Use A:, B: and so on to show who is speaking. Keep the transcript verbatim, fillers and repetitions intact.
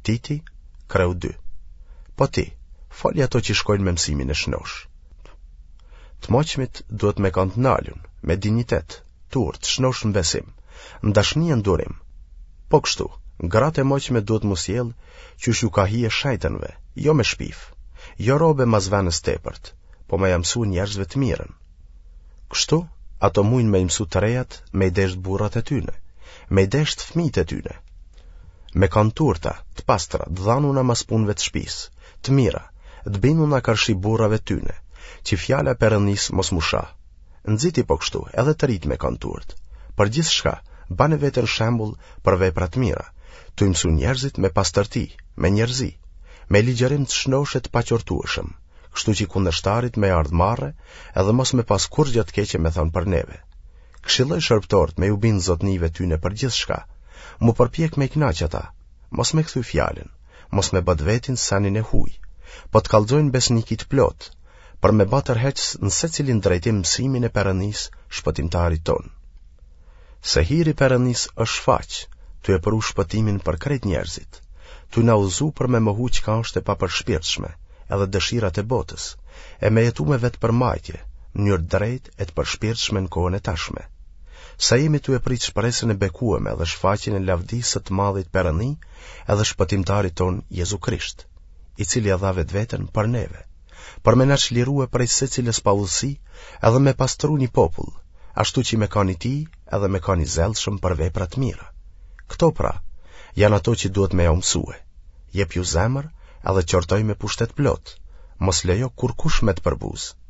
A: Titi, kreu dy. Po ti, foli ato që shkojnë me mësimin e shnoshë. Të moqmit duhet me kanë të nalun, me dinjitet, t'urtë, të shnoshë në besim, në dashni e në durim. Po kështu, gratë e moqme duhet m'u sjellë qysh ju ka hije shejtënve, jo me shpif, jo robe mas venës tepërt, po me ja mësu njerëzve të mirën. Kështu, ato mujnë me i mësu të rejat me i deshtë burrat e tyne, me i deshtë fmijt e tyne. Me kanë t'urta, të pastra, të dhanuna mas punëve të shpisë, të mira, të binduna karshi burrave tyne, që fjala e Perëndisë mos m'u sha. Nxiti po kështu edhe të rijtë me kanë t'urtë. Për gjithçka, bane veten shembull për vepra të mira, tu i mësu njerëzit me pastërti, me njerëzi, me ligjërim të shnoshë e të paqortueshëm, kështu që kundërshtarit me ardhë marre edhe mos me pas kurrgjë të keqe me thanë për neve. Këshilloj shërbëtorët me ju bindë zotnive tyne për gjithçka, m'u përpjek me i kënaq ata, mos me kthy fjalën, mos me ba të vetin senin e huj, po të kallxojnë besniki të plotë, për me ba tërheqës në secilin drejtim mësimin e Perëndisë, Shpëtimtarit tonë. Se hiri i Perëndisë është shfaq, tu e pru shpëtimin për krejt njerëzit, tu na udhëzu për me mohu çka është e papërshpirtshme, edhe dëshirat e botës, e me jetu me vetëpërmbajtje, në mënyrë të drejtë e të përshpirtshme në kohën e tashme. Sa jemi tu e prit shpresën e bekueme dhe shfaqjen e lavdisë së të madhit Perëndi edhe Shpëtimtarit tonë Jezu Krisht, i cili e dha vetveten për neve, për me na çlirue prej secilës paudhësi edhe me pastru një popull, ashtu që me kanë i tij edhe me kanë i zellshëm për vepra të mira. Këto pra, janë ato që duhet me jau mësue. Jepju zemër edhe qortoj me pushtet plot, mos lejo kurkush me të përbuzë.